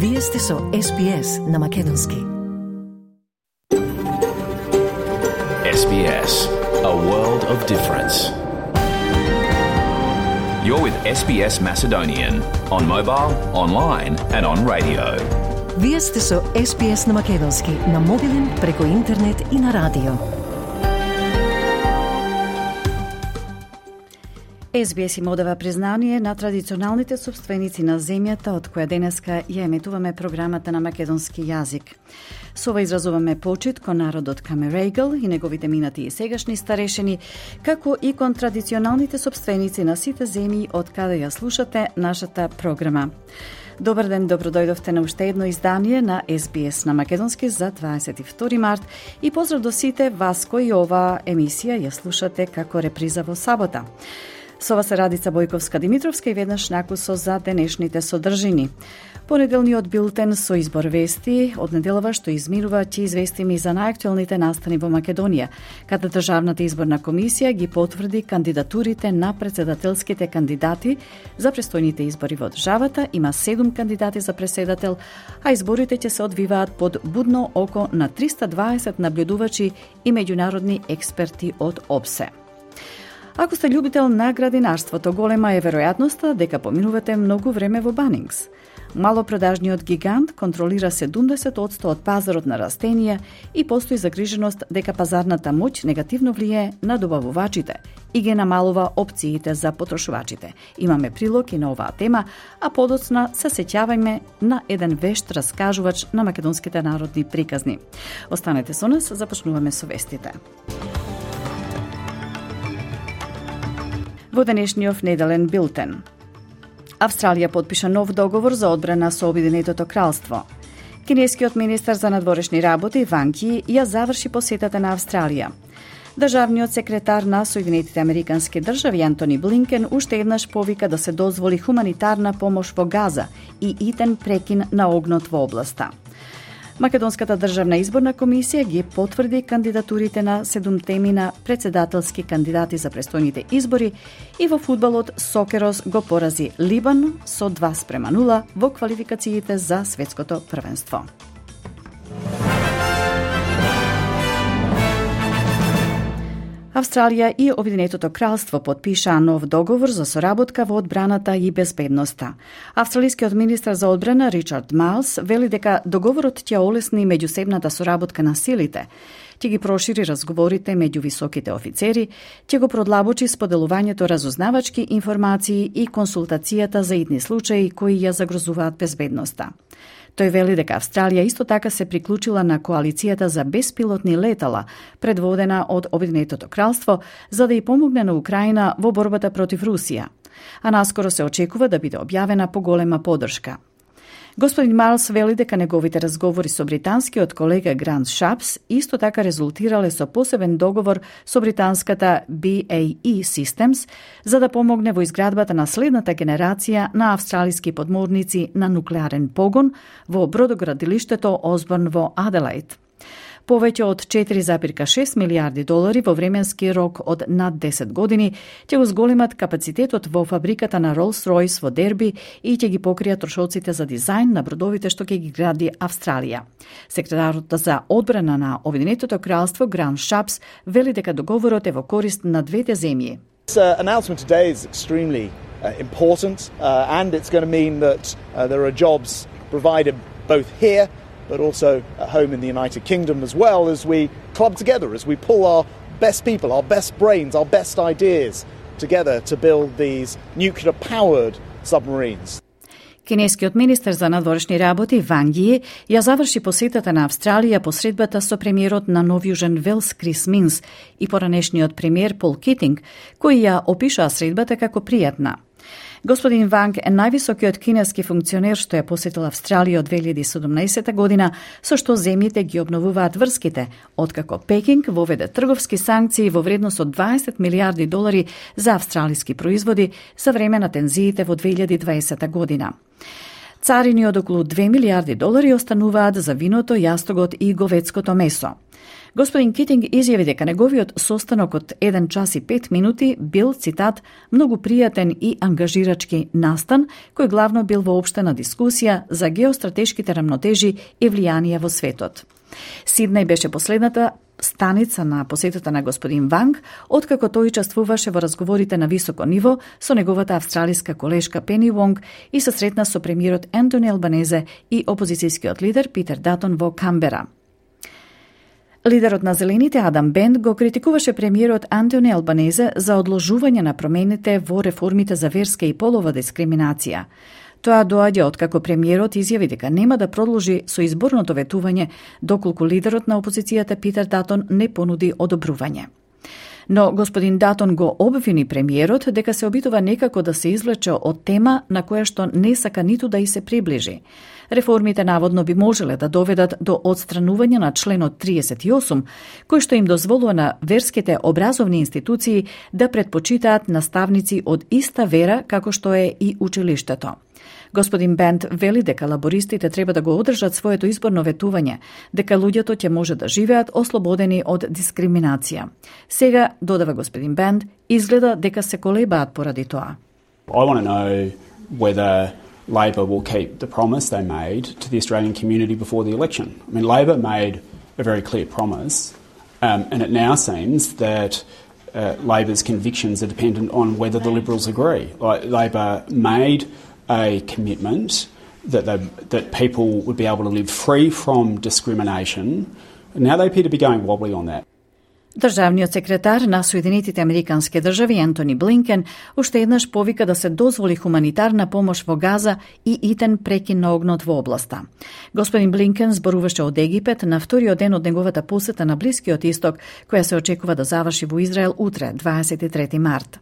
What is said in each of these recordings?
Вие сте со SBS на Македонски. SBS, a world of difference. You're with SBS Macedonian on mobile, online and on radio. Вие сте со SBS на Македонски на мобилен, преку интернет и на радио. SBS им одава признание на традиционалните собственици на земјата од која денеска ја еметуваме програмата на македонски јазик. Со ова изразуваме почит кон народот Камерегл и неговите минати и сегашни старешени, како и кон традиционалните собственици на сите земји од каде ја слушате нашата програма. Добар ден, добродојдовте на уште едно издание на SBS на македонски за 22 март и поздрав до сите вас кои оваа емисија ја слушате како реприза во сабота. Со вас е Радица Бојковска-Димитровска и веднаш накусо за денешните содржини. Понеделниот билтен со избор вести од неделава што изминува ќе известиме и за најактуелните настани во Македонија, каде Државната изборна комисија ги потврди кандидатурите на председателските кандидати за престојните избори во државата. Има 7 кандидати за преседател, а изборите ќе се одвиваат под будно око на 320 наблюдувачи и меѓународни експерти од ОБСЕ. Ако сте љубител на градинарството, голема е веројатноста дека поминувате многу време во Банингс. Малопродажниот гигант контролира 70% од пазарот на растенија и постои загриженост дека пазарната моќ негативно влијае на добавувачите и ги намалува опциите за потрошувачите. Имаме прилог и на оваа тема, а подоцна се сеќавајме на еден вешт раскажувач на македонските народни приказни. Останете со нас, започнуваме со вестите. Во денешниот неделен билтен. Австралија подпиша нов договор за одбрана со Обединетото кралство. Кинескиот министар за надворешни работи Ванг Ји ја заврши посетата на Австралија. Државниот секретар на Соединетите Американски држави Антони Блинкен уште еднаш повика да се дозволи хуманитарна помош во Газа и итен прекин на огнот во областа. Македонската државна изборна комисија ги потврди кандидатурите на 7 на председателски кандидати за престојните избори и во фудбалот Сокерос го порази Либан со 2:0 во квалификациите за светското првенство. Австралија и Обединетото кралство подпишаа нов договор за соработка во одбраната и безбедноста. Австралискиот министар за одбрана Ричард Майлс вели дека договорот ќе олесни меѓусебната соработка на силите, ќе ги прошири разговорите меѓу високите офицери, ќе го продлабочи споделувањето разузнавачки информации и консултацијата за итни случаи кои ја загрозуваат безбедноста. Тој вели дека Австралија исто така се приклучила на коалицијата за беспилотни летала, предводена од Обединетото кралство, за да ја помогне на Украина во борбата против Русија. А наскоро се очекува да биде објавена поголема поддршка. Господин Майлс вели дека неговите разговори со британскиот колега Грант Шапс исто така резултирале со посебен договор со британската BAE Systems за да помогне во изградбата на следната генерација на австралиски подморници на нуклеарен погон во бродоградилиштето Осборн во Аделаид. Повеќе од 4,6 милиарди долари во временски рок од над 10 години ќе го зголемат капацитетот во фабриката на Rolls-Royce во Дерби и ќе ги покријат трошоците за дизајн на бродовите што ќе ги гради Австралија. Секретарот за одбрана на Обединетото кралство Грант Шапс вели дека договорот е во корист на двете земји. This announcement today is extremely important and it's going to mean that there are jobs provided both here but also at home in the United Kingdom as well as we club together, as we pull our best people, our best brains, our best ideas together to build these nuclear-powered submarines. Кинескиот министер за надворешни работи Ванг Ји ја заврши посетата на Австралија по средбата со премиерот на Нов Јужен Велс Крис Минс и поранешниот премиер Пол Китинг, кои ја опишаа средбата како пријатна. Господин Ванг е највисокиот кинески функционер што ја посетил Австралија од 2017 година, со што земјите ги обновуваат врските, откако Пекинг воведе трговски санкции во вредност од 20 милиарди долари за австралиски производи за време на тензиите во 2020 година. Царини од околу 2 милиарди долари остануваат за виното, јастогот и говедското месо. Господин Китинг изјави дека неговиот состанок од 1 час и 5 минути бил, цитат, многу пријатен и ангажирачки настан, кој главно бил воопштена дискусија за геостратешките рамнотежи и влијанија во светот. Сиднеј беше последната станица на посетата на господин Ванг, откако тој учествуваше во разговорите на високо ниво со неговата австралиска колешка Пени Вонг и се сретна со премиерот Ентони Албанезе и опозицијскиот лидер Питер Датон во Камбера. Лидерот на Зелените Адам Бенд го критикуваше премиерот Антони Албанезе за одложување на промените во реформите за верска и полова дискриминација. Тоа доаѓа откако премиерот изјави дека нема да продолжи со изборното ветување доколку лидерот на опозицијата Питер Датон не понуди одобрување. Но господин Датон го обвини премиерот дека се обидува некако да се извлече од тема на која што не сака ниту да и се приближи. Реформите наводно би можеле да доведат до отстранување на членот 38, кој што им дозволува на верските образовни институции да предпочитаат наставници од иста вера како што е и училиштето. Господин Бенд вели дека лабористите треба да го одржат своето изборно ветување, дека луѓето ќе може да живеат ослободени од дискриминација. Сега, додава господин Бенд, изгледа дека се колебаат поради тоа. I want to know whether Labor will keep the promise they made to the Australian community before the election. I mean, Labor made a very clear promise, and it now seems that Labor's convictions are dependent on whether the Liberals agree. Labor made a commitment that people would be able to live free from discrimination. Now they appear to be going wobbly on that. Државниот секретар на Соединетите Американски држави Ентони Блинкен уште еднаш повика да се дозволи хуманитарна помош во Газа и итен прекин на огнот во областа. Господин Блинкен зборуваше од Египет на вториот ден од неговата посета на Блискиот Исток, која се очекува да заврши во Израел утре, 23 март.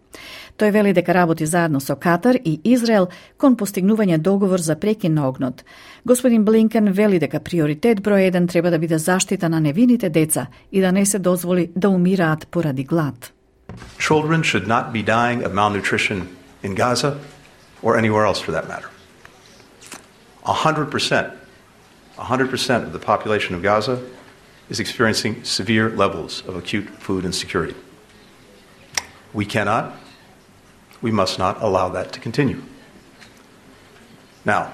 Тој вели дека работи заедно со Катар и Израел кон постигнување договор за прекин на огнот. Господин Блинкен вели дека приоритет број 1 треба да биде заштита на невините деца и да не се дозволи да умираат поради глад. Children should not be dying of malnutrition in Gaza or anywhere else for that matter. 100% of the population of Gaza is experiencing severe levels of acute food insecurity. We must not allow that to continue. Now,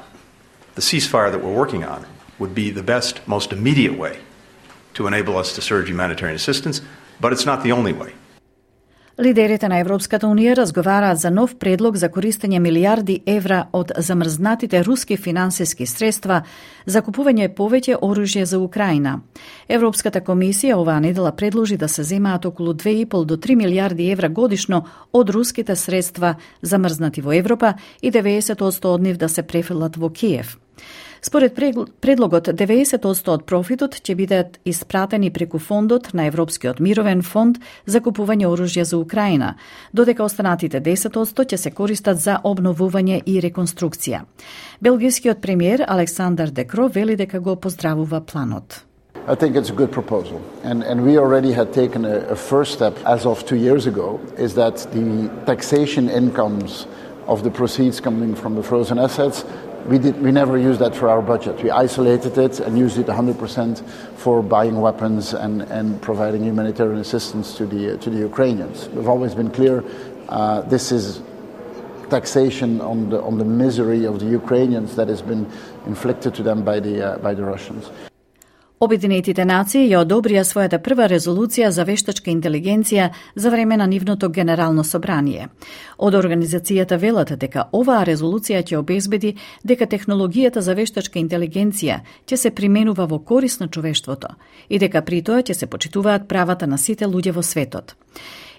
the ceasefire that we're working on would be the best, most immediate way to enable us to surge humanitarian assistance, but it's not the only way. Лидерите на Европската унија разговараат за нов предлог за користење милиарди евра од замрзнатите руски финансиски средства за купување повеќе оружје за Украина. Европската комисија оваа недела предложи да се земаат околу 2,5 до 3 милиарди евра годишно од руските средства замрзнати во Европа и 90% од нив да се префрлат во Киев. Според предлогот, 90% од профитот ќе бидат испратени преку фондот на Европскиот мировен фонд за купување оружје за Украина, додека останатите 10% ќе се користат за обновување и реконструкција. Белгискиот премиер Александър Де Крoo вели дека го поздравува планот. I think it's a good proposal. And we already had taken a first step as of 2 years ago, is that the taxation incomes of the proceeds coming from the frozen assets, we never used that for our budget. We isolated it and used it 100% for buying weapons and providing humanitarian assistance to the Ukrainians. We've always been clear, this is taxation on the misery of the Ukrainians that has been inflicted to them by the Russians. Обединетите нации ја одобрија својата прва резолуција за вештачка интелигенција за време на нивното генерално собрание. Од организацијата велат дека оваа резолуција ќе обезбеди дека технологијата за вештачка интелигенција ќе се применува во корист на човештвото и дека при тоа ќе се почитуваат правата на сите луѓе во светот.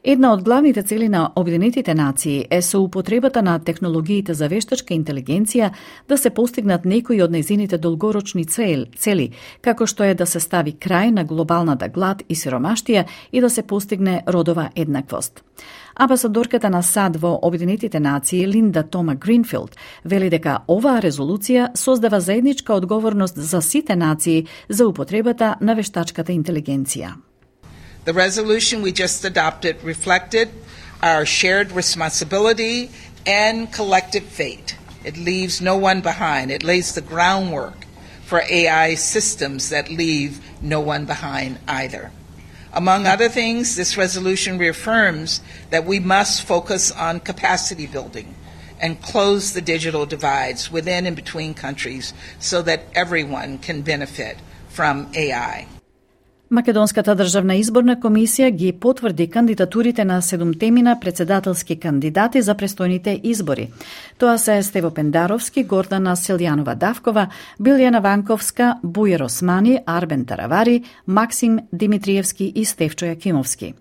Една од главните цели на Обединетите нации е со употребата на технологиите за вештачка интелигенција да се постигнат некои од нејзините долгорочни цели, како што е да се стави крај на глобалната глад и сиромаштија и да се постигне родова еднаквост. Амбасадорката на САД во Обединетите нации Линда Тома Гринфилд вели дека оваа резолуција создава заедничка одговорност за сите нации за употребата на вештачката интелигенција. The resolution we just adopted reflected our shared responsibility and collective fate. It leaves no one behind. It lays the groundwork for AI systems that leave no one behind either. Among other things, this resolution reaffirms that we must focus on capacity building and close the digital divides within and between countries so that everyone can benefit from AI. Македонската државна изборна комисија ги потврди кандидатурите на 7 председателски кандидати за престојните избори. Тоа се Стево Пендаровски, Гордана Силјанова-Давкова, Билјана Ванковска, Бујер Османи, Арбен Таравари, Максим Димитриевски и Стефчо Јакимовски.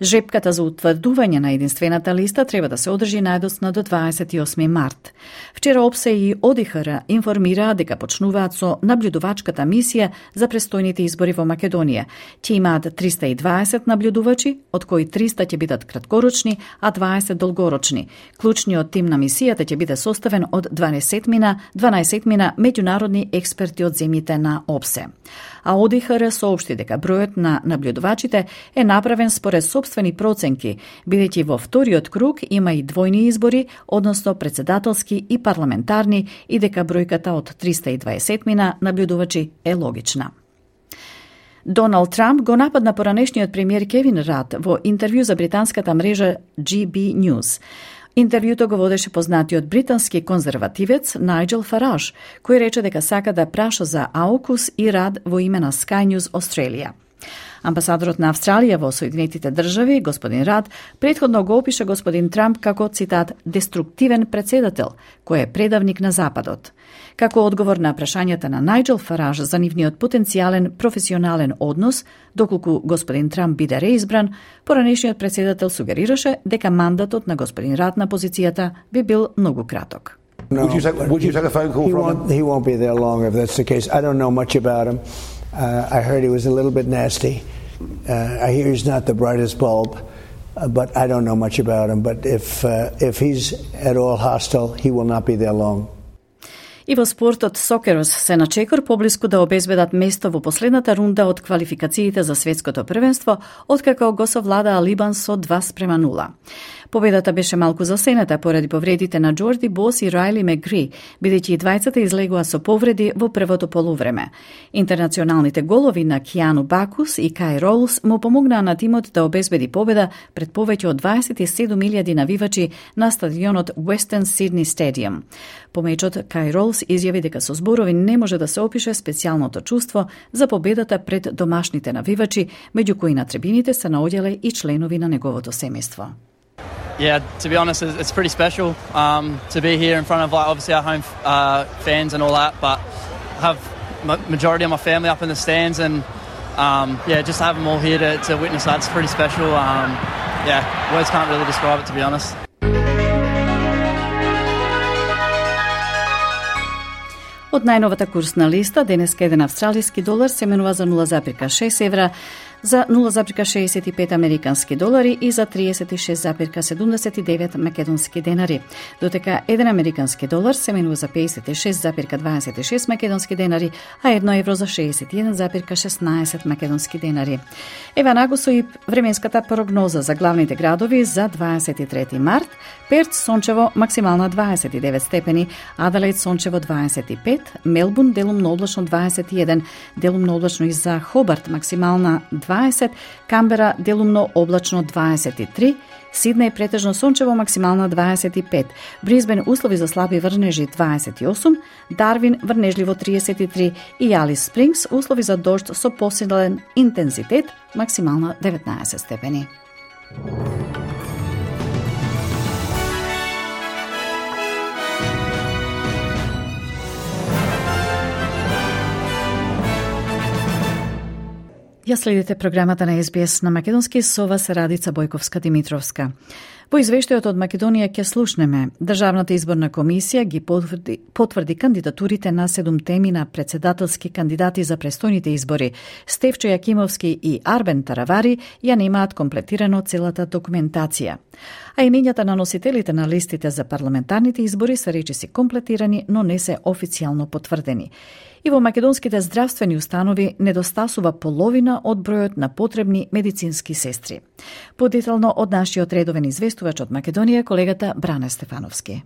Жепката за утврдување на единствената листа треба да се одржи најдоцна до 28 март. Вчера ОПСЕ и ОДИХР информираа дека почнуваат со наблюдувачката мисија за престојните избори во Македонија. Ќе имаат 320 наблюдувачи, од кои 300 ќе бидат краткорочни, а 20 долгорочни. Клучниот тим на мисијата ќе биде составен од 12 меѓународни експерти од земјите на ОПСЕ. А ОДИХР соопшти дека бројот на наблюдувачите е направен според собствени проценки, бидејќи во вториот круг има и двојни избори, односно председателски и парламентарни, и дека бројката од 320 наблюдувачи е логична. Доналд Трамп го нападна поранешниот премиер Кевин Рад во интервју за британската мрежа GB News. Интервјуто го водеше познатиот британски конзервативец Најджел Фараж, кој рече дека сака да праша за AUKUS и Рад во име на Sky News Australia. Амбасадорот на Австралија во Соединетите држави, господин Рад, претходно го опиша господин Трамп како, цитат, деструктивен председател, кој е предавник на Западот. Како одговор на прашањата на Најджел Фараж за нивниот потенцијален професионален однос, доколку господин Трамп биде реизбран, поранешниот председател сугерираше дека мандатот на господин Рад на позицијата би бил многу краток. No, would you take a phone call from him? He won't be there long if that's the case. I don't know much about him. I heard he was a little bit nasty. I hear he's not the brightest bulb, but I don't know much about him. But if he's at all hostile, he will not be there long. И во спортот Сокерос се на чекор поблиску да обезбедат место во последната рунда од квалификациите за светското првенство, откако го совладаа Либан со 2-0. Победата беше малку засенета поради повредите на Джорди Бос и Райли Мегри, бидејќи и двајцата излегува со повреди во првото полувреме. Интернационалните голови на Киану Бакус и Кај Ролс му помогнаа на тимот да обезбеди победа пред повеќе од 27.000 навивачи на стадионот Western Sydney Stadium. По мечот Кај Ролс изјави дека со зборови не може да се опише специјалното чувство за победата пред домашните навивачи, меѓу кои на трибините се наоѓале и членови на неговото семејство. Yeah, to be honest, it's pretty special to be here in front of, like, obviously our home fans and all that, but I have majority of my family up in the stands, and just to have them all here to witness that's pretty special. Words can't really describe it, to be honest. Од најновата курсна листа, денеска еден австралиски долар се менува за 0,6 евра, за 0,65 американски долари и за 36,79 македонски денари. Дотека 1 американски долар се менува за 56,26 македонски денари, а 1 евро за 61,16 македонски денари. Ева нагусо и временската прогноза за главните градови за 23 март. Перт сончево максимална 29 степени, Аделаид сончево 25, Мелбурн делумно облачно 21, делумно облачно и за Хобарт максимална 20, Камбера делумно облачно 23, Сиднеј претежно сончево максимална 25, Брисбен услови за слаби врнежи 28, Дарвин врнежливо 33 и Алис Спрингс услови за дожд со посилен интензитет максимална 19 степени. Ја следите програмата на SBS на македонски, со вас Радица Бојковска-Димитровска. Во извештајот од Македонија ќе слушнеме. Државната изборна комисија ги потврди кандидатурите на 7 председателски кандидати за престојните избори. Стефчо Јакимовски и Арбен Таравари ја немаат комплетирано целата документација. А имењата на носителите на листите за парламентарните избори се речиси комплетирани, но не се официјално потврдени. И во македонските здравствени установи недостасува половина од бројот на потребни медицински сестри. Подетално од нашиот редовен известувач од Македонија, колегата Бране Стефановски.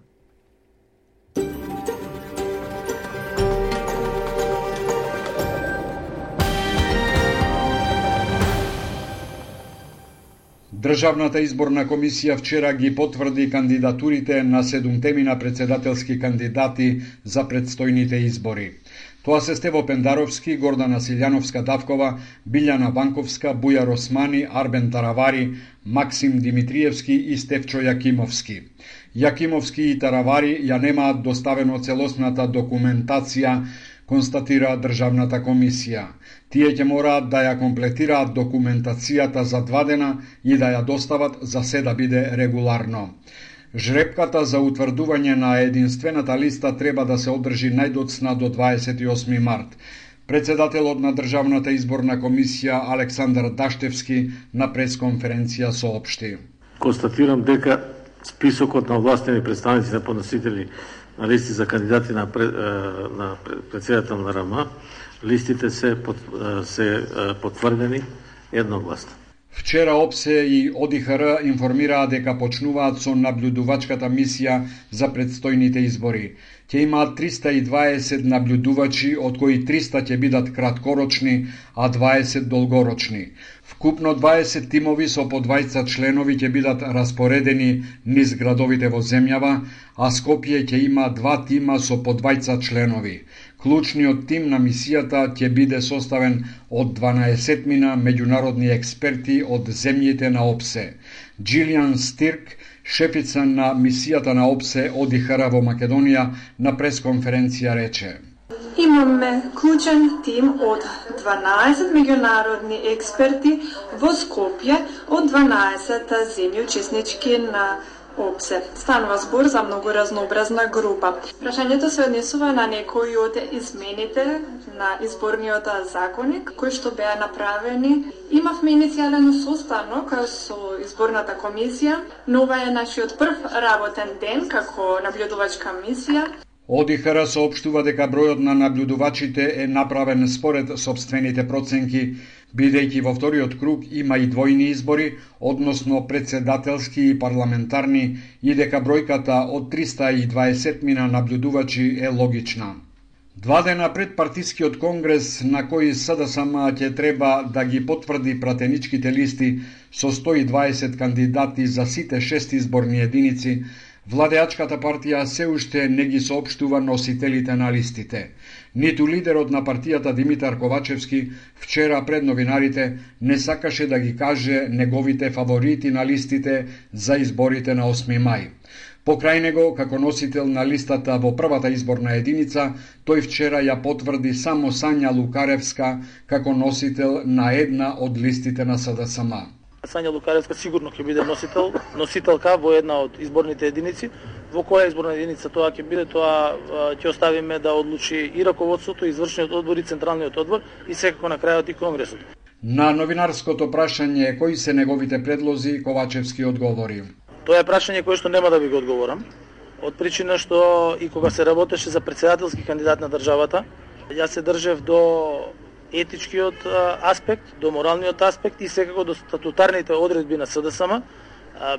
Државната изборна комисија вчера ги потврди кандидатурите на 7 председателски кандидати за предстојните избори. Тоа се Стево Пендаровски, Гордана Силјановска-Давкова, Билјана Банковска, Бујар Османи, Арбен Таравари, Максим Димитриевски и Стефчо Јакимовски. Јакимовски и Таравари ја немаат доставено целосната документација, констатира Државната комисија. Тие ќе мораат да ја комплетираат документацијата за 2 дена и да ја достават за се да биде регуларно. Жребката за утврдување на единствената листа треба да се одржи најдоцна до 28 март. Председателот на Државната изборна комисија Александар Даштевски на пресконференција соопшти. Констатирам дека списокот на овластени представници на подносители на листи за кандидати на председател на РМ, листите се потврдени едногласно. Вчера ОПСЕ и ОДИХР информираа дека почнуваат со наблюдувачката мисија за предстојните избори. Ќе имаат 320 наблюдувачи, од кои 300 ќе бидат краткорочни, а 20 долгорочни. Вкупно 20 тимови со по 20 членови ќе бидат распоредени низ градовите во земјава, а Скопје ќе има 2 тима со по 20 членови. Клучниот тим на мисијата ќе биде составен од 12 меѓународни експерти од земјите на ОПСЕ. Джилијан Стирк, шефица на мисијата на ОПСЕ ОДИХР во Македонија, на пресконференција рече: Имаме клучен тим од 12 меѓународни експерти во Скопје од 12 земји учеснички на ОПСЕ. Станува збор за многу разнообразна група. Прашањето се однесува на некои од измените на изборниот законник, кои што беа направени. Имавме иницијален состанок со изборната комисија, но ова е нашиот прв работен ден како наблюдувачка мисија. ОДИХР соопштува дека бројот на наблюдувачите е направен според собствените проценки, бидејќи во вториот круг има и двојни избори, односно председателски и парламентарни, и дека бројката од 320 наблюдувачи е логична. 2 дена пред партискиот конгрес, на кој СДСМ ќе треба да ги потврди пратеничките листи со 120 кандидати за сите 6 изборни единици, владеачката партија се уште не ги соопштува носителите на листите. Ниту лидерот на партијата Димитар Ковачевски вчера пред новинарите не сакаше да ги каже неговите фаворити на листите за изборите на 8 мај. Покрај него, како носител на листата во првата изборна единица, тој вчера ја потврди само Сања Лукаревска како носител на една од листите на СДСМ. Сања Лукаревска сигурно ќе биде носителка во една од изборните единици. Во која изборна единица тоа ќе биде, тоа ќе оставиме да одлучи и раководството, и извршниот одбор, и централниот одбор, и секако на крајот и конгресот. На новинарското прашање кои се неговите предлози, Ковачевски одговори: Тоа е прашање кое што нема да ви го одговорам, од причина што и кога се работеше за председателски кандидат на државата, јас се држев до етичкиот аспект, до моралниот аспект и секако до статутарните одредби на СДСМ,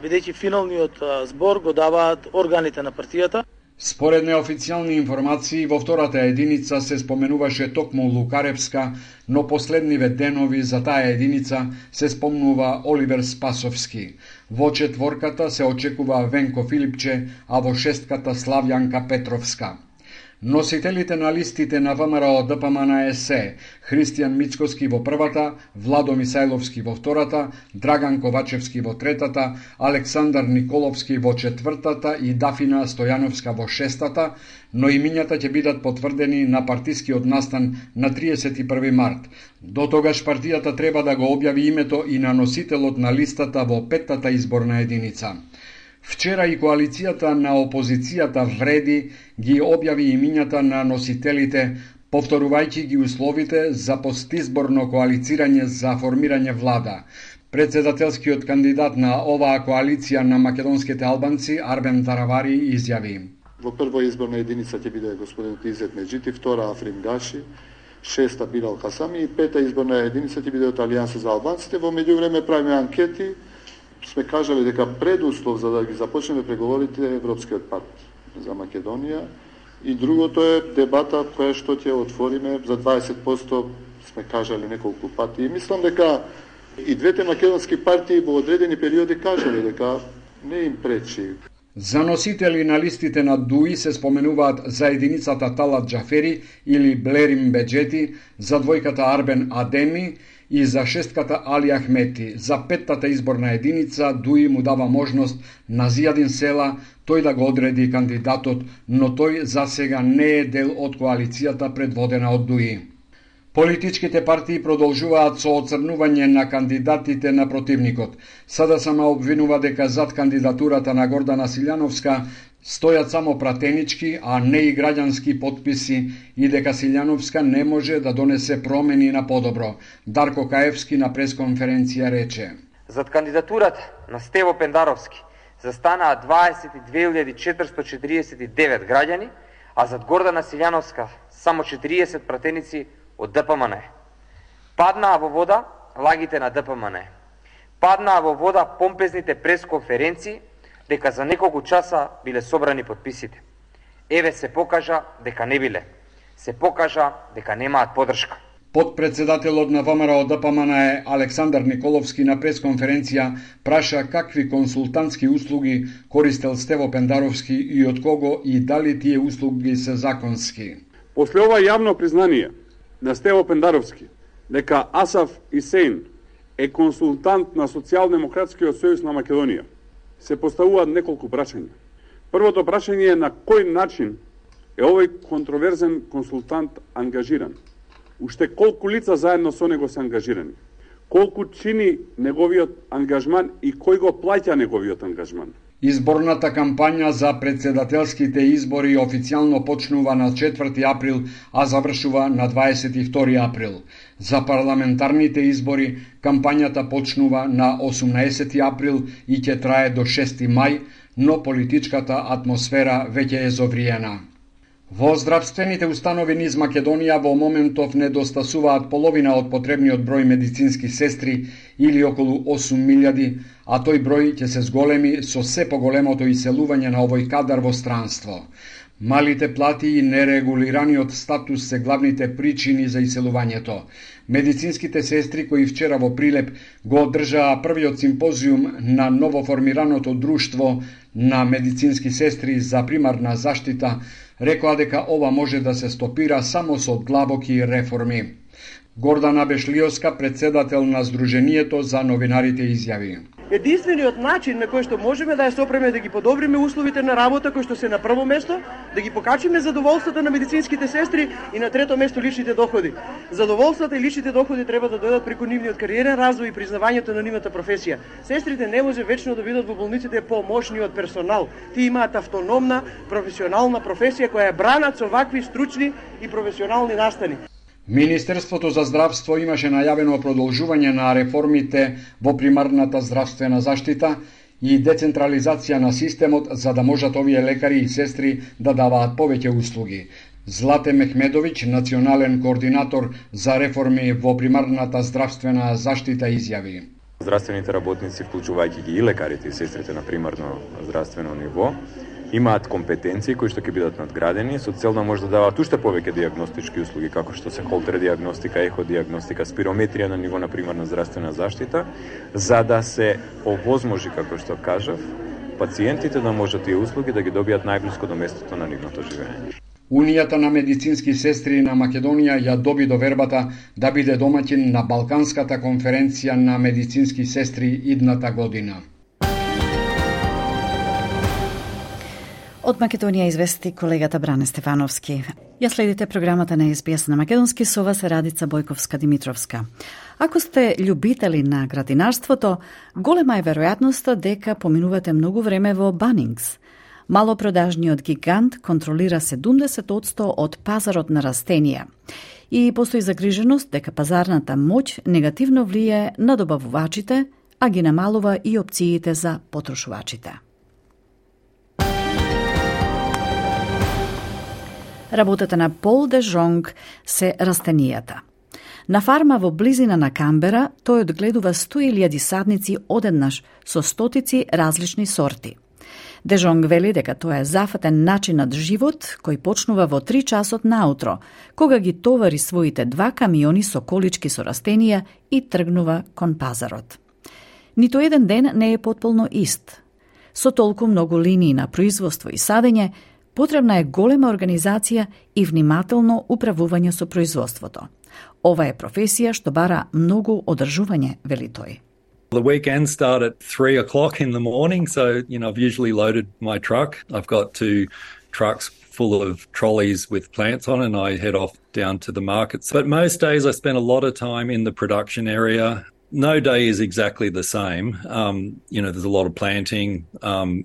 бидејќи финалниот збор го даваат органите на партијата. Според неофицијални информации, во втората единица се споменуваше токму Лукаревска, но последниве денови за таа единица се спомнува Оливер Спасовски. Во четворката се очекува Венко Филипче, а во шестката Славјанка Петровска. Носителите на листите на ВМРО ДПМН се Христијан Мицкоски во првата, Владо Мисајловски во втората, Драган Ковачевски во третата, Александар Николовски во четвртата и Дафина Стојановска во шестата, но имињата ќе бидат потврдени на партискиот настан на 31 март. До тогаш партијата треба да го објави името и на носителот на листата во петтата изборна единица. Вчера и коалицијата на опозицијата Вреди ги објави имињата на носителите, повторувајќи ги условите за постизборно коалицирање за формирање влада. Председателскиот кандидат на оваа коалиција на македонските албанци, Арбен Таравари, изјави: Во прва изборна единица ќе биде господин Изет Меджити, втора Африм Гаши, шеста Билал Хасами и пета изборна единица ќе биде од Алијанса за албанците. Во меѓувреме правиме анкети. Сме кажале дека предуслов за да ги започнеме преговорите е Европскиот пакт за Македонија и другото е дебата која што ќе отвориме за 20%, сме кажале неколку пати. И мислам дека И двете македонски партии во одредени периоди кажале дека не им пречи. За носители на листите на ДУИ се споменуваат за единицата Талат Джафери или Блерим Беджети, за двојката Арбен Адеми и за шестката Али Ахмети. За петтата изборна единица ДУИ му дава можност на Зијадин Села тој да го одреди кандидатот, но тој за сега не е дел од коалицијата предводена од ДУИ. Политичките партии продолжуваат со оцрнување на кандидатите на противникот. СДСМ обвинува дека зад кандидатурата на Гордана Силјановска стојат само пратенички, а не и граѓански потписи и дека Силјановска не може да донесе промени на подобро. Дарко Каевски на пресконференција рече: Зад кандидатурата на Стево Пендаровски застанаа 22.449 граѓани, а зад Гордана Силјановска само 40 пратеници од ДПМН. Паднаа во вода лагите на ДПМН. Паднаа во вода помпезните пресконференции дека за неколку часа биле собрани потписите. Еве се покажа дека не биле. Се покажа дека немаат поддршка. Подпредседателот на ВМРО ДПМН Александар Николовски на пресконференција праша какви консултантски услуги користел Стево Пендаровски и од кого и дали тие услуги се законски. После ова јавно признание на Стево Пендаровски дека Асаф Исеин е консултант на Социјалдемократскиот сојуз на Македонија, се поставуваат неколку прашања. Првото прашање е на кој начин е овој контроверзен консултант ангажиран? Уште колку лица заедно со него се ангажирани? Колку чини неговиот ангажман и кој го плаќа неговиот ангажман? Изборната кампања за председателските избори официјално почнува на 4 април, а завршува на 22 април. За парламентарните избори кампањата почнува на 18 април и ќе трае до 6 мај, но политичката атмосфера веќе е зовриена. Во здравствените установи низ Македонија во моментов недостасуваат половина од потребниот број медицински сестри или околу 8.000, а тој број ќе се зголеми со се поголемото иселување на овој кадар во странство. Малите плати и нерегулираниот статус се главните причини за иселувањето. Медицинските сестри кои вчера во Прилеп го одржаа првиот симпозиум на новоформираното друштво на медицински сестри за примарна заштита рекоа дека ова може да се стопира само со длабоки реформи. Гордана Бешлиовска, председател на Сдруженијето за новинарите, изјави: Единствениот начин на кој што можеме да ја сопреме да ги подобриме условите на работа кои што се на прво место, да ги покачиме задоволството на медицинските сестри и на трето место личните доходи. Задоволството и личните доходи треба да дојдат преку нивниот кариерен развој и признавањето на нивната професија. Сестрите не може вечно да бидат во болниците помошни од персонал. Тие имаат автономна професионална професија која е бранат со вакви стручни и професионални настани. Министерството за здравство имаше најавено продолжување на реформите во примарната здравствена заштита и децентрализација на системот за да можат овие лекари и сестри да даваат повеќе услуги. Злате Мехмедовиќ, национален координатор за реформи во примарната здравствена заштита, изјави: Здравствените работници, вклучувајќи ги и лекарите и сестрите на примарно здравствено ниво, имаат компетенции кои што ќе бидат надградени со цел да може да даваат уште повеќе дијагностички услуги како што се холтер дијагностика, еходијагностика, спирометрија на ниво на примарна здравствена заштита, за да се овозможи, како што кажав, пациентите да можат тие услуги да ги добијат најблиско до местото на нивното живење. Унијата на медицински сестри на Македонија ја доби довербата да биде домаќин на Балканската конференција на медицински сестри идната година. Од Македонија извести колегата Бране Стефановски. Ја следите програмата на СБС на македонски, со вас е Радица Бојковска-Димитровска. Ако сте љубители на градинарството, голема е веројатноста дека поминувате многу време во Банингс. Малопродажниот гигант контролира 70% од пазарот на растенија. И постои загриженост дека пазарната моќ негативно влијае на добавувачите, а ги намалува и опциите за потрошувачите. Работата на Пол де Жонг се растенијата. На фарма во близина на Камбера тој одгледува 100.000 садници одеднаш со стотици различни сорти. Де Жонг вели дека тоа е зафатен начинот живот кој почнува во 3 часот наутро, кога ги товари своите 2 камиони со колички со растенија и тргнува кон пазарот. Ниту еден ден не е потполно ист. Со толку многу линии на производство и садење, потребна е голема организација и внимателно управување со производството. Ова е професија што бара многу одржување, вели тој. The weekends start at 3 o'clock in the morning, so, I've usually loaded my truck. I've got 2 trucks full of trolleys with plants on and I head off down to the markets. But most days I spend a lot of time in the production area. No day is exactly the same. There's a lot of planting,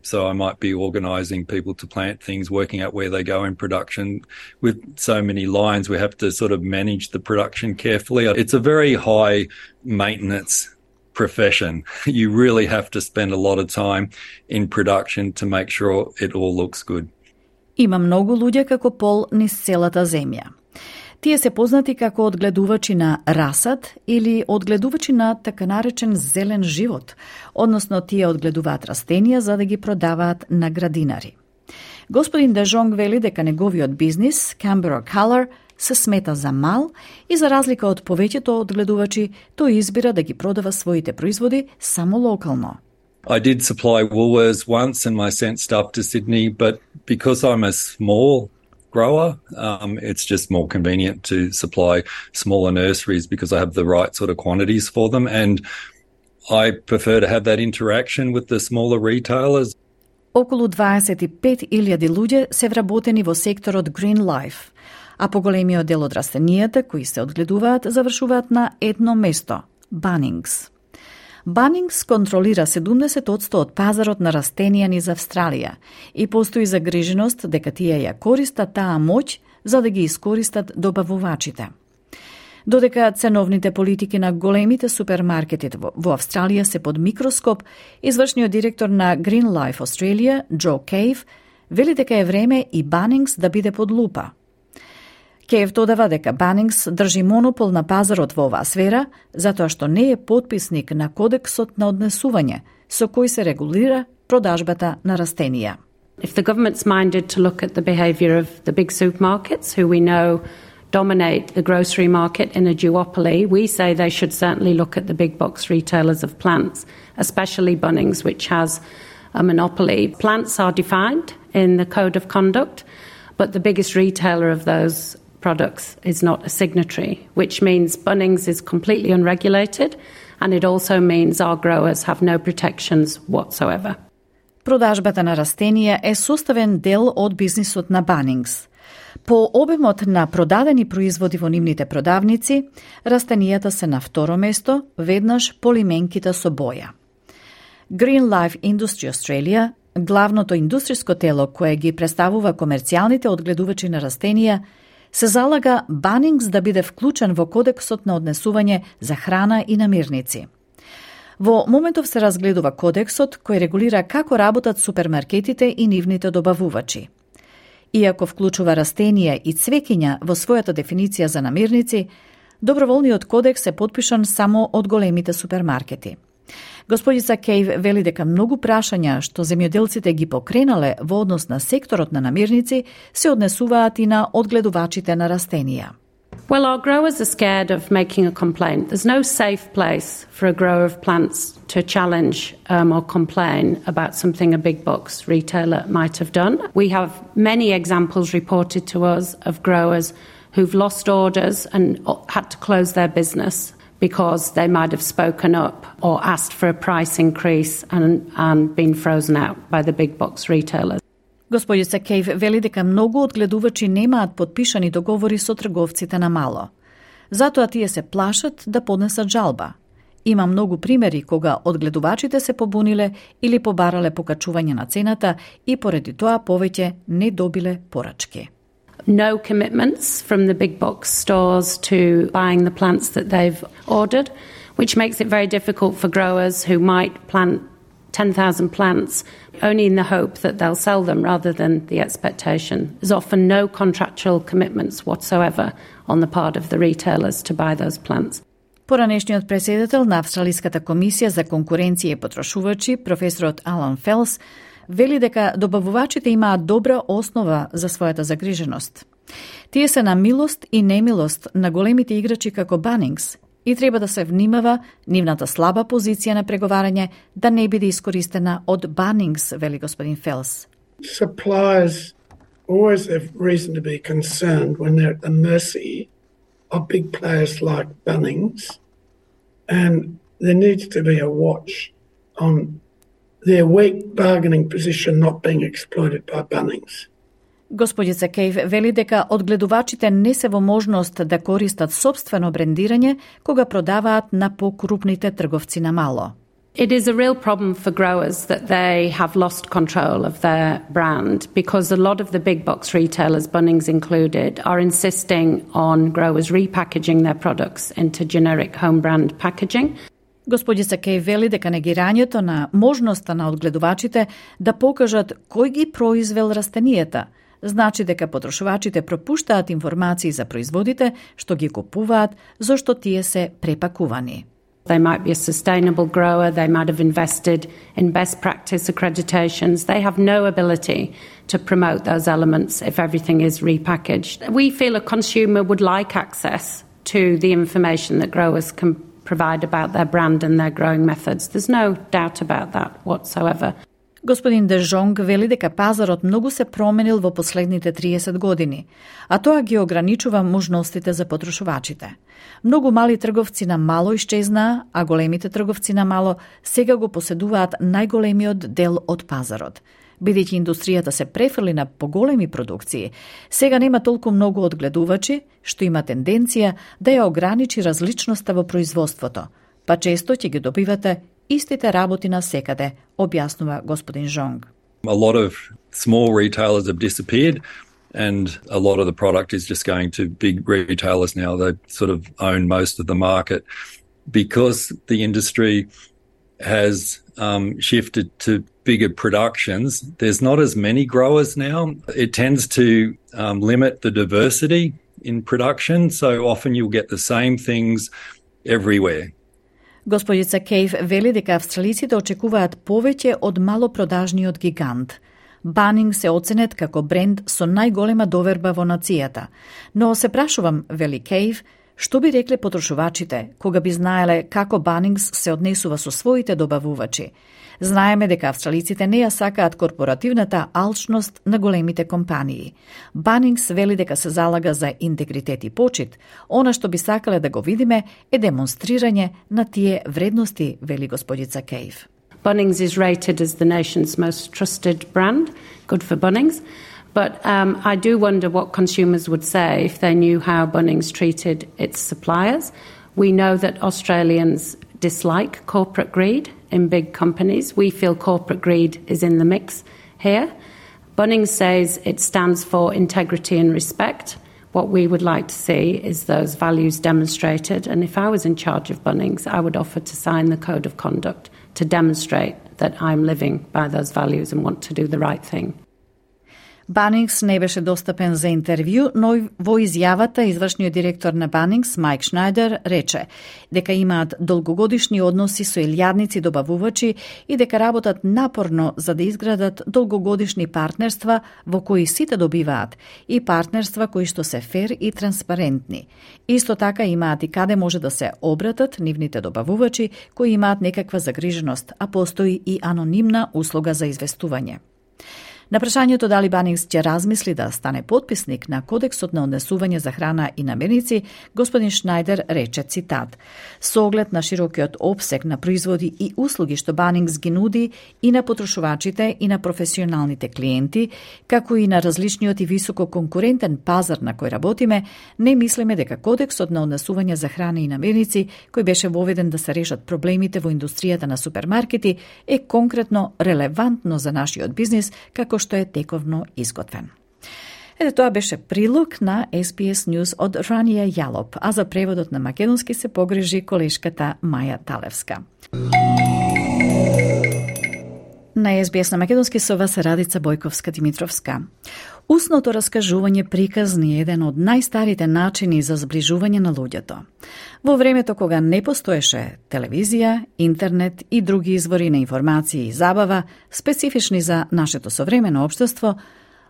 so I might be organising people to plant things, working out where they go in production. With so many lines, we have to sort of manage the production carefully. It's a very high maintenance profession. You really have to spend a lot of time in production to make sure it all looks good. Има многу луѓе како Пол низ целата земја. Тие се познати како одгледувачи на расад или одгледувачи на така наречен зелен живот, односно тие одгледуваат растенија за да ги продаваат на градинари. Господин Де Жонг вели дека неговиот бизнис, Canberra Color, се смета за мал и за разлика од повеќето одгледувачи, тој избира да ги продава своите производи само локално. I did supply Woolworths once and I sent stuff to Sydney, but because I'm a small grower, it's just more convenient to supply smaller nurseries because I have the right sort of quantities for them, and I prefer to have that interaction with the smaller retailers. Околу 25.000 луѓе се вработени во секторот Green Life, а поголемиот дел од растенијата кои се одгледуваат завршуваат на едно место – Bunnings. Bunnings контролира 70% од пазарот на растенија низ Австралија и постои загриженост дека тие ја користат таа моќ за да ги искористат добавувачите. Додека ценовните политики на големите супермаркети во Австралија се под микроскоп, извршниот директор на Green Life Australia, Джо Кейв, вели дека е време и Bunnings да биде под лупа. Кейв додава дека Bunnings држи монопол на пазарот во оваа сфера, затоа што не е потписник на кодексот на однесување, со кој се регулира продажбата на растенија. If the government's minded to look at the behaviour of the big supermarkets, who we know dominate the grocery market in a duopoly, we say they should certainly look at the big box retailers of plants, especially Bunnings, which has a monopoly. Plants are defined in the Code of Conduct, but the biggest retailer of those products is not a signatory, which means Bunnings is completely unregulated, and it also means our growers have no protections whatsoever. Продажбата на растенија е составен дел од бизнисот на Bunnings. По обемот на продадени производи во нивните продавници, растенијата се на второ место, веднаш по лименките со боја. Green Life Industry Australia, главното индустриско тело кое ги представува комерцијалните одгледувачи на растенија, се залага Bunnings да биде вклучен во кодексот на однесување за храна и намирници. Во моментов се разгледува кодексот кој регулира како работат супермаркетите и нивните добавувачи. Иако вклучува растенија и цвеќиња во својата дефиниција за намирници, доброволниот кодекс е потпишан само од големите супермаркети. Господица Кейв вели дека многу прашања што земјоделците ги покренале во однос на секторот на намирници се однесуваат и на одгледувачите на растенија. Well, our growers are scared of making a complaint. There's no safe place for a grower of plants to challenge or complain about something a big box retailer might have done. We have many examples reported to us of growers who've lost orders and had to close their business because they might have spoken up or asked for a price increase and been frozen out by the big box retailers. Господица Кейв вели дека многу одгледувачи немаат подпишани договори со трговците на мало. Затоа тие се плашат да поднесат жалба. Има многу примери кога одгледувачите се побуниле или побарале покачување на цената и поради тоа повеќе не добиле порачки. No commitments from the big box stores to buying the plants that they've ordered, which makes it very difficult for growers who might plant 10,000 plants only in the hope that they'll sell them rather than the expectation. There's often no contractual commitments whatsoever on the part of the retailers to buy those plants. Поранешниот председател на Австралиската комисија за конкуренција и потрошувачи, професорот Алан Фелс, вели дека добавувачите имаат добра основа за својата загриженост. Тие се на милост и немилост на големите играчи како Bunnings и треба да се внимава нивната слаба позиција на преговарање да не биде искористена од Bunnings, вели господин Фелс. Suppliers always have reason to be concerned when they're at the mercy of big players like Bunnings, and there needs to be a watch on their weak bargaining position not being exploited by Bunnings. Господица Кейв вели дека одгледувачите не се во можност да користат собствено брендирање кога продаваат на покрупните трговци на мало. It is a real problem for growers that they have lost control of their brand because a lot of the big box retailers, Bunnings included, are insisting on growers repackaging their products into generic home brand packaging. Господица Кей вели дека негирањето на можноста на одгледувачите да покажат кој ги произвел растенијата значи дека потрошувачите пропуштаат информации за производите што ги купуваат, зашто тие се препакувани. They might be a sustainable grower, they might have invested in best practice accreditations. They have no ability to promote those elements if everything is repackaged. We feel a consumer would like access to the information that growers can provide about their brand and their growing methods. There's no doubt about that whatsoever. Господин Де Жонг вели дека пазарот многу се променил во последните 30 години, а тоа ги ограничува можностите за потрошувачите. Многу мали трговци на мало исчезнаа, а големите трговци на мало сега го поседуваат најголемиот дел од пазарот. Бидејќи индустријата се префрли на поголеми продукции, сега нема толку многу одгледувачи, што има тенденција да ја ограничи различноста во производството, па често ќе ги добивате истите работи на секаде, објаснува господин Жонг. A lot of small retailers have disappeared and a lot of the product is just going to big retailers now. They sort of own most of the market because the industry has shifted to bigger productions. There's not as many growers now. It tends to limit the diversity in production, so often you'll get the same things everywhere. Господица Кейв вели дека австралиците очекуваат повеќе од малопродажниот гигант. Bunnings се оценет како бренд со најголема доверба во нацијата. Но се прашувам, вели Кейв, што би рекле потрошувачите кога би знаеле како Bunnings се однесува со своите добавувачи. Знаеме дека австралиците не ја сакаат корпоративната алчност на големите компании. Bunnings вели дека се залага за интегритет и почит. Она што би сакале да го видиме е демонстрирање на тие вредности, вели господица Кейв. Bunnings is rated as the nation's most trusted brand. Good for Bunnings. But I do wonder what consumers would say if they knew how Bunnings treated its suppliers. We know that Australians dislike corporate greed in big companies. We feel corporate greed is in the mix here. Bunnings says it stands for integrity and respect. What we would like to see is those values demonstrated. And if I was in charge of Bunnings, I would offer to sign the code of conduct to demonstrate that I'm living by those values and want to do the right thing. Bunnings не беше достапен за интервју, но во изјавата извршниот директор на Bunnings, Майк Шнајдер, рече дека имаат долгогодишни односи со илјадници добавувачи и дека работат напорно за да изградат долгогодишни партнерства во кои сите добиваат и партнерства кои што се фер и транспарентни. Исто така имаат и каде може да се обратат нивните добавувачи кои имаат некаква загриженост, а постои и анонимна услуга за известување. На прашањето дали Bunnings ќе размисли да стане потписник на Кодексот на однесување за храна и намирници, господин Шнајдер рече, цитат: "Со оглед на широкиот опсег на производи и услуги што Bunnings ги нуди и на потрошувачите и на професионалните клиенти, како и на различниот и високо конкурентен пазар на кој работиме, не мислиме дека Кодексот на однесување за храна и намирници, кој беше воведен да се решат проблемите во индустријата на супермаркети, е конкретно релевантно за нашиот бизнис, како што е тековно изготвен." Ете, тоа беше прилог на SBS News од Ранија Јалоп, а за преводот на македонски се погрижи колешката Маја Талевска. На СБС на македонски со вас Радица Бојковска-Димитровска. Усното раскажување приказни е еден од најстарите начини за зближување на луѓето. Во времето кога не постоеше телевизија, интернет и други извори на информации и забава, специфични за нашето современо општество,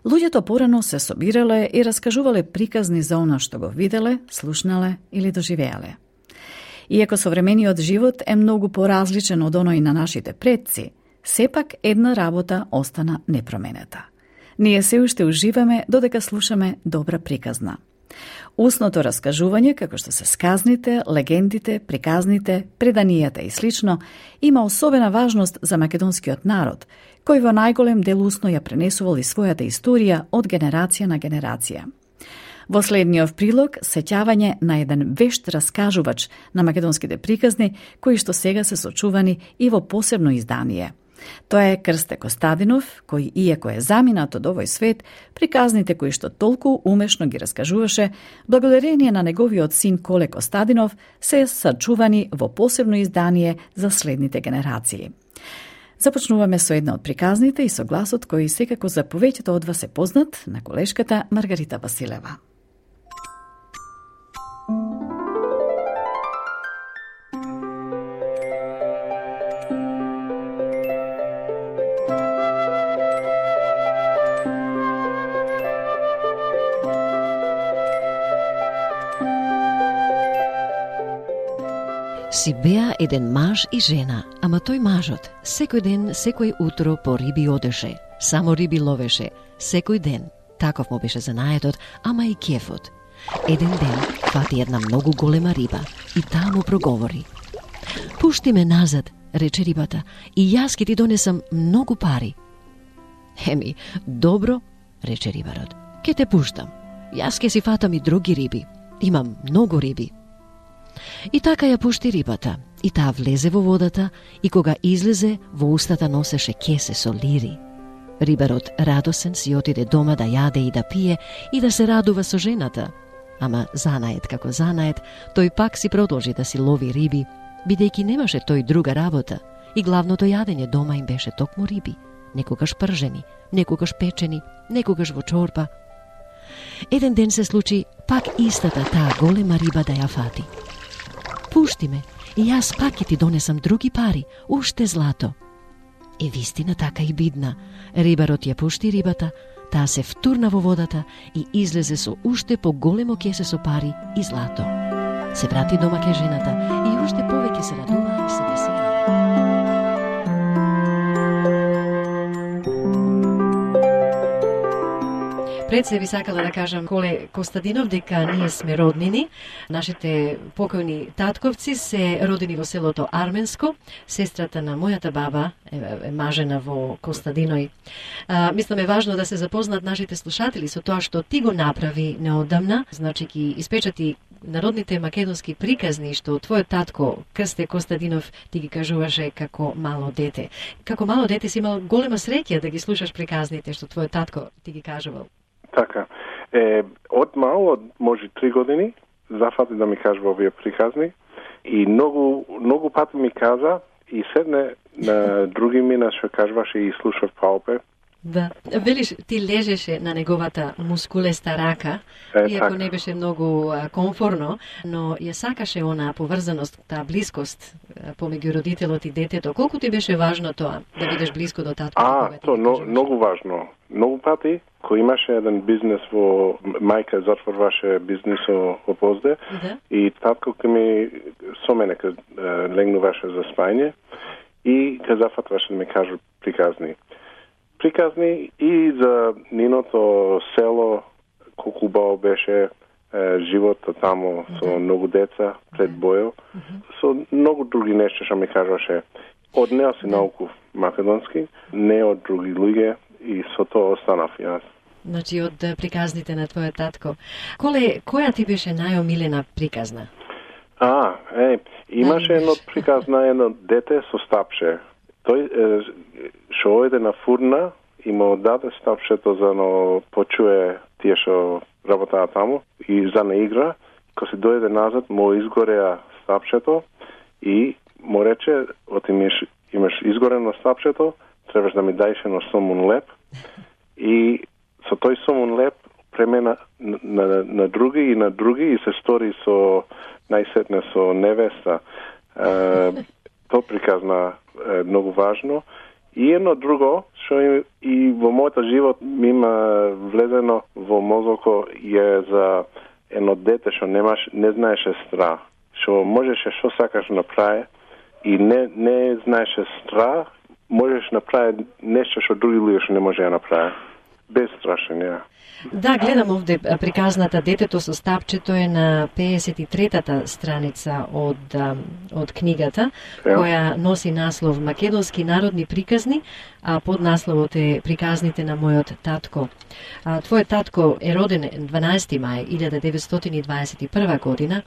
луѓето порано се собирале и раскажувале приказни за она што го виделе, слушнале или доживеале. Иако современиот живот е многу поразличен од оној на нашите предци, сепак една работа остана непроменета. Ние се уште уживаме додека слушаме добра приказна. Устното раскажување, како што се сказните, легендите, приказните, преданијата и слично, има особена важност за македонскиот народ, кој во најголем дел усно ја пренесувал и својата историја од генерација на генерација. Во следниот прилог, сеќавање на еден вешт раскажувач на македонските приказни, кои што сега се сочувани и во посебно издание. Тоа е Крсте Костадинов, кој, иако е заминат од овој свет, приказните кои што толку умешно ги раскажуваше, благодарение на неговиот син Коле Костадинов, се сачувани во посебно издание за следните генерации. Започнуваме со една од приказните и со гласот кој секако за повеќето од вас е познат, на колешката Маргарита Василева. Си беа еден маж и жена, ама тој мажот секој ден, секој утро по риби одеше, само риби ловеше, секој ден. Таков му беше занаетот, ама и кефот. Еден ден фати една многу голема риба и таа му проговори. Пушти ме назад, рече рибата, и јас ќе ти донесам многу пари. Еми, добро, рече рибарот, ќе те пуштам. Јас ќе си фатам и други риби. Имам многу риби. И така ја пушти рибата, и таа влезе во водата, и кога излезе, во устата носеше кесе со лири. Рибарот радосен си отиде дома да јаде и да пие и да се радува со жената. Ама занаед како занаед, тој пак си продолжи да си лови риби, бидејќи немаше тој друга работа, и главното јадење дома им беше токму риби, некогаш пржени, некогаш печени, некогаш во чорба. Еден ден се случи пак истата таа голема риба да ја фати. Пушти ме, и јас пак ќе ти донесам други пари, уште злато. И вистина така и бидна. Рибарот ја пушти рибата, таа се втурна во водата и излезе со уште поголемо кесе со пари и злато. Се врати дома ке жената и уште повеќе се радува и се весела. Пред се би сакала да кажам, Коле Костадинов, дека ние сме роднини. Нашите покојни татковци се родени во селото Арменско. Сестрата на мојата баба е мажена во Костадиној. Мислам е важно да се запознат нашите слушатели со тоа што ти го направи неодамна. Значи ги испечати народните македонски приказни што твојот татко Крсте Костадинов ти ги кажуваше како мало дете. Како мало дете си имал голема среќа да ги слушаш приказните што твојот татко ти ги кажувал. Така. Од мал, од може 3 години, зафати да ми кажува овие приказни и многу пати ми каза и седне на други мина што кажуваше и слушав паопе. Да. Велиш, ти лежеше на неговата мускулеста рака, иако не беше многу комфорно, но ја сакаше она поврзаност, таа блискост помеѓу родителот и детето. Колку ти беше важно тоа, да бидеш блиско до татко? Многу важно. Многу пати, кој имаше еден бизнес во мајка затворваше бизнес во Позде, да. И татко ке ми со мене ке легнуваше за спање и ке зафатваше да ми кажу приказни и за ниното село, колку убаво беше животот таму со многу деца пред бојот, со многу други нешта што ми кажуваше. Од неа си науков македонски, не од други луѓе и со тоа останав јас. Значи од приказните на твојот татко. Коле, која ти беше најомилена приказна? Имаше едно приказна, едно дете со стапше. Тој што ојде на фурна и му даде стапшето за да почуе тие што работаа таму и за на игра. Кога се дојде назад, му изгореа стапшето и му рече, имаш изгорено стапшето, требаш да ми даеш едно сомун леп и со тој сомун леп премена на други и се стори со најсетне со невеста. Тоа приказна е многу важно. И едно друго, што и во мојот живот ми има влезено во мозоко е за едно дете што не знаеше страх, што можеше што сакаш направи и не знаеше страх, можеш направи нешто што други луѓе што не може да направи. Безстрашен, ја. Да, гледам овде приказната Детето со стапчето е на 53-та страница од книгата, која носи наслов Македонски народни приказни, а под насловот е Приказните на мојот татко. Твојот татко е роден 12 мај 1921 година,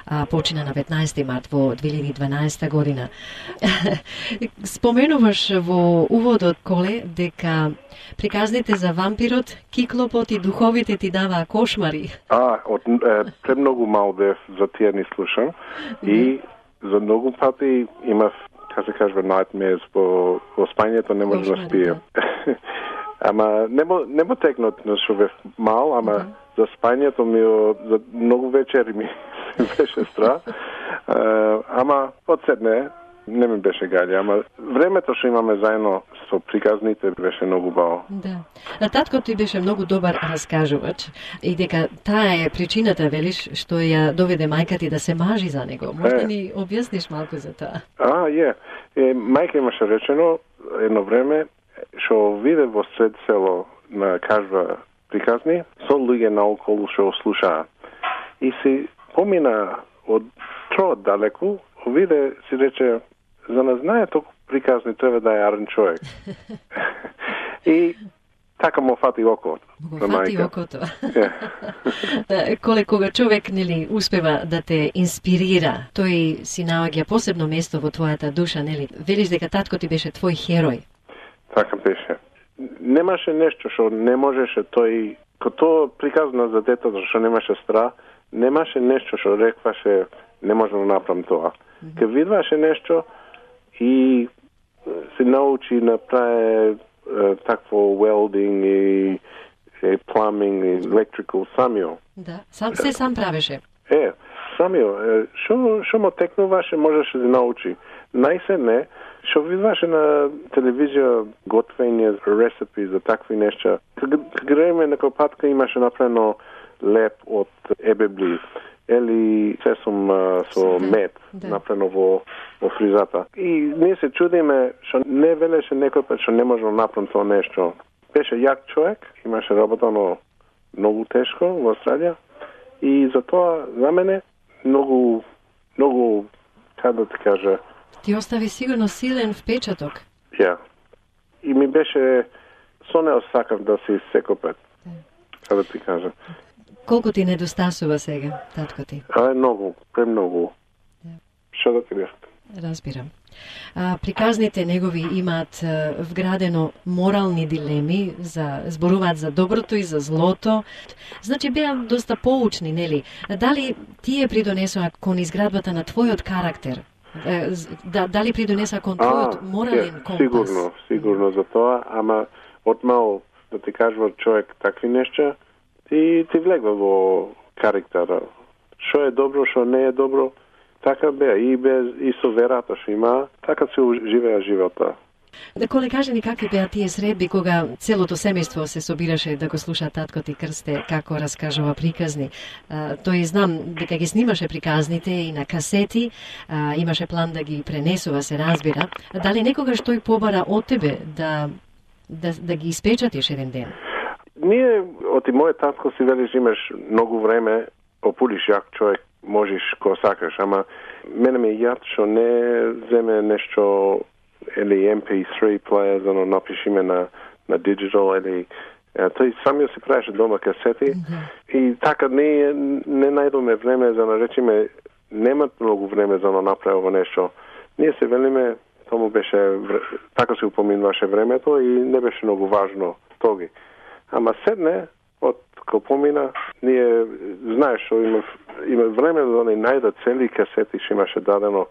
а почина на 15 март во 2012 година. Споменуваш во уводот, Коле, дека приказните за вампирот, киклопот и духовите ти даваа кошмари. Премногу мал бев за тие ни слушам и за многу пати имав, како се кажува, nightmares во спањето, не може да спием. Ама не мо текнат на што бев мал, ама за спањето ми за многу вечери ми беше страх. Ама одседне не ми беше гаѓа, ама времето што имаме заедно со приказните беше многу баво. Да. Татко ти беше многу добар раскажувач и дека таа е причината, велиш, што ја доведе мајка ти да се мажи за него. Може да ни објасниш малку за тоа? Мајка имаше речено едно време што виде во сред село на кажва приказни со луѓе наоколу што слушаа. И си помина од троот далеку, виде си рече, за не знае толку приказни треба да е арен човек. И така му фати окото. Фати окото. Коле кога човек успева да те инспирира, тој си наоѓа посебно место во твојата душа, нели? Велиш дека татко ти беше твој херој. Така беше. Немаше нешто што не можеше тој, кото приказна за детето што немаше страх, немаше нешто што рекваше не можам да направам тоа. Ке видваше нешто и се научи да прави такво welding и plumbing и electrical самио. Да, сам правеше. Самио, што му текнуваше, можеше да научи. Најсетне, што видваше на телевизија готвење, рецепти за такви нешта. Кога гледаме некој патка имаше направено леп од ебебли или сесум со мед, направено во фризата. И ние се чудиме што не велеше некој пат што не може да направи тоа нешто. Беше јак човек, имаше работано многу тешко во Австралија и затоа за мене многу, како да ти кажа, ти остави сигурно силен впечаток. И ми беше со нео сакав да се секој пат. Како да ти кажа. Колку ти недостасува сега, татко ти? Многу, премногу. Што да ти кажа? Разбирам. Приказните негови имаат вградено морални дилеми, зборуваат за доброто и за злото. Значи беа доста поучни, нели? Дали тие придонесоа кон изградбата на твојот карактер? Дали придонесоа кон твојот морален компас? Сигурно за тоа, ама отмал да ти кажува човек такви нешта, ти влегва во карактера. Што е добро, што не е добро, така беа и со верата што има, така се живеа живота. Коле, кажи ни какви беа тие средби кога целото семејство се собираше да го слуша татко ти Крсте како раскажува приказни. Тој знам дека ги снимаше приказните и на касети, имаше план да ги пренесува, се разбира. Дали некогаш тој побара од тебе да ги испечатиш еден ден? Ние, од и мојот татко си велиш имаш многу време, популиш јак човек, можеш ко сакаш, ама мене ми е јад што не земе нешто или MP3 player, за да напишиме на digital или тој самиот си правеше дома касети и така не најдоме време за да речеме немат многу време за да направи нешто. Ние се велиме тому беше така се упоминуваше времето и не беше многу важно тоги. Ама седне од кога помина, ние знаеш што има време да не најдат цели касети што имаше дадено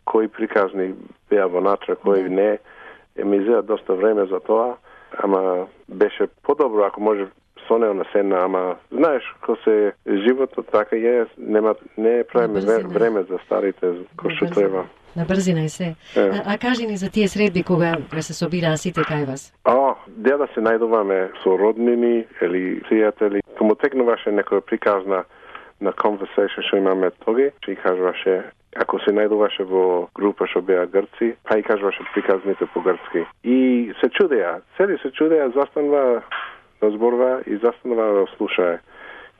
кои приказни беа вонатре, кои не. ми зеа доста време за тоа, ама беше подобро ако може со него на седна, ама знаеш, ко се животот така не правиме време за старите, кој што треба. На брзина и се. А кажи ни за тие средби кога се собираа сите кај вас? Дел да се најдуваме со роднини или пријатели. Кому текнуваше некоја приказна на conversation што имаме тоги, што и кажуваше, ако се најдуваше во група што беа грци, па и кажуваше приказните по грцки. И се чудеа, застанува да зборува и застанува да слушае.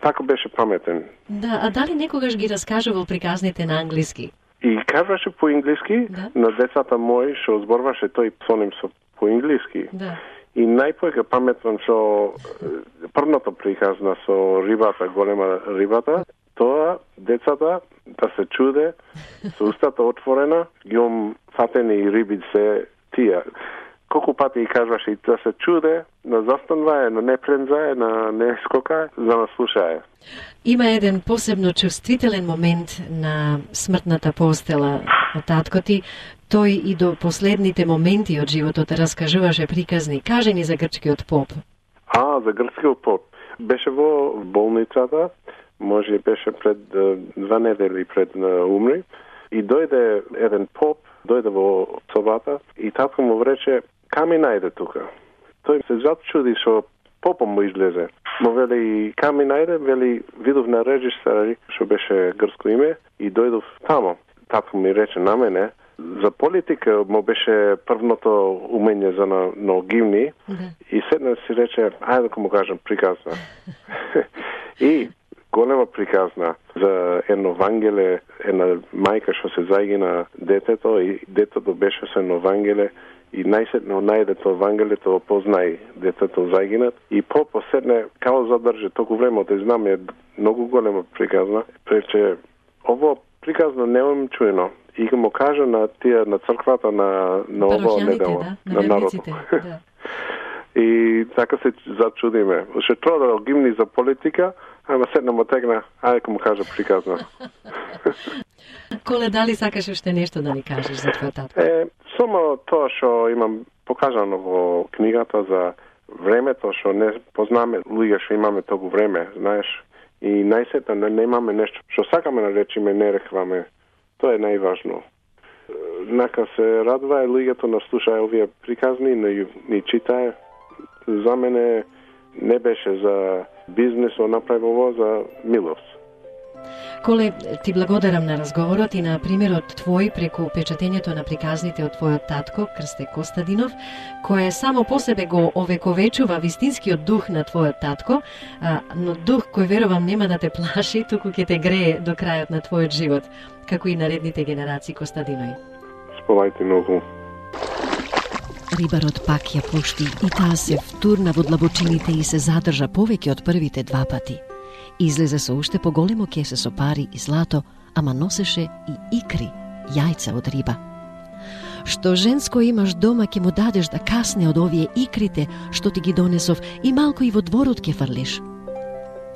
Така беше паметен. Да, а дали некогаш ги раскажувал приказните на англиски? И кажуваше по англиски, на децата мои што зборуваше тој со ним по англиски. Да. И најпоека паметвам што првната приказна со рибата, голема рибата, тоа децата да се чуде, со устата отворена, јом фатени риби се тие. Колку пати и кажуваше и да се чуде, на застанвае, на не прензае, на не скокае, за да слушае. Има еден посебно чувствителен момент на смртната постела од татко ти. Тој и до последните моменти од животот раскажуваше приказни. Кажи ни за грчкиот поп. За грчкиот поп. Беше во болницата, може беше пред 2 недели пред умри, и дојде еден поп, дојде во собата и татко му рече, ками најде тука? Тој се зачуди што попом му излезе. Му вели, ками најде, вели, видов на режисер, што беше грцко име, и дојдов тамо. Татко ми рече на мене, за политика му беше првното умење за на гимни, и седна си рече, ајде да му кажам приказна. И голема приказна за едно вангеле, една мајка што се загина детето, и детето беше со едно вангеле, и најсетно најде тоа вангелето, опознај детето загинат, и поседне, као задржи толку време, да знам, е многу голема приказна, прече, ово приказно немам чуено, и го му кажа на тие, на црквата на ово недела, на народот. Да. И така се зачудиме. Ше тоа да гимни за политика, ама седна му тегна, ајде му кажа приказна. Коле, дали сакаш уште нешто да ни кажеш за твојот татко? Само тоа што имам покажано во книгата за времето, што не познаме луѓе што имаме толку време, знаеш, и најсетно не имаме нешто што сакаме да речеме, не рекваме. Тоа е најважно. Нака се радува луѓето на слушаја овие приказни, ни читае. За мене не беше за бизнес, направи за милост. Коле, ти благодарам на разговорот и на примерот твој преку печатењето на приказните од твојот татко, Крсте Костадинов, кој само по себе го овековечува вистинскиот дух на твојот татко, но дух кој верувам нема да те плаши, туку ќе те грее до крајот на твојот живот, како и наредните генерации Костадинови. Сполајте многу. Рибарот пак ја пушти и таа се втурна во длабочините и се задржа повеќе од првите 2 пати. Излезе со уште поголемо кесе со пари и злато, ама носеше и икри, јајца од риба. Што женско имаш дома ќе му дадеш да касне од овие икрите што ти ги донесов и малку и во дворот ќе фрлиш.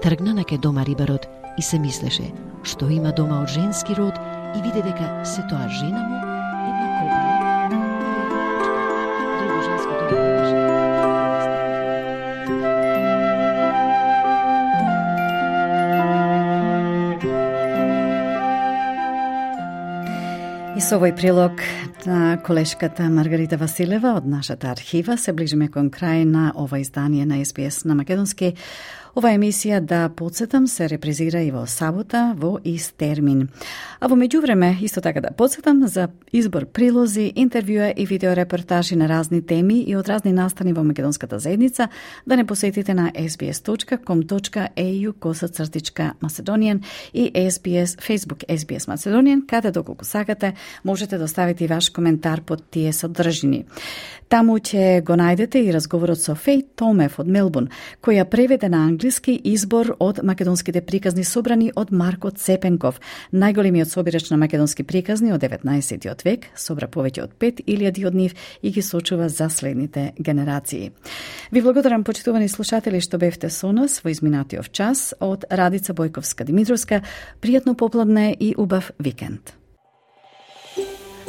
Тргна на ке дома рибарот и се мислеше што има дома од женски род и виде дека се тоа жена му една кобила. Друго женско дома имаше. И со овој прилог на колешката Маргарита Василева од нашата архива се ближиме кон крај на ова издание на SBS на македонски. Ова емисија, да подсетам, се репризира и во сабота во ист термин. А во меѓувреме, исто така да подсетам за избор прилози, интервјуа и видеорепортажи на разни теми и од разни настани во македонската заедница, да не посетите на sbs.com.au/Macedonian и SBS, Facebook SBS Macedonian, каде доколку сакате можете да оставите и ваш коментар под тие содржини. Таму ќе го најдете и разговорот со Феј Томев од Мелбурн, која преведе на англиски избор од македонските приказни собрани од Марко Цепенков, најголемиот собирач на македонски приказни од 19. век, собра повеќе од 5000 од нив и ги сочува за следните генерации. Ви благодарам, почитувани слушатели, што бевте со нас во изминатиот час. Од Радица Бојковска-Димитровска, пријатно попладне и убав викенд.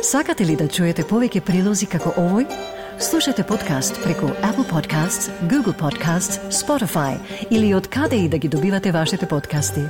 Сакате ли да чуете повеќе прилози како овој? Слушате подкаст преку Apple Podcasts, Google Podcasts, Spotify или од каде и да ги добивате вашите подкасти.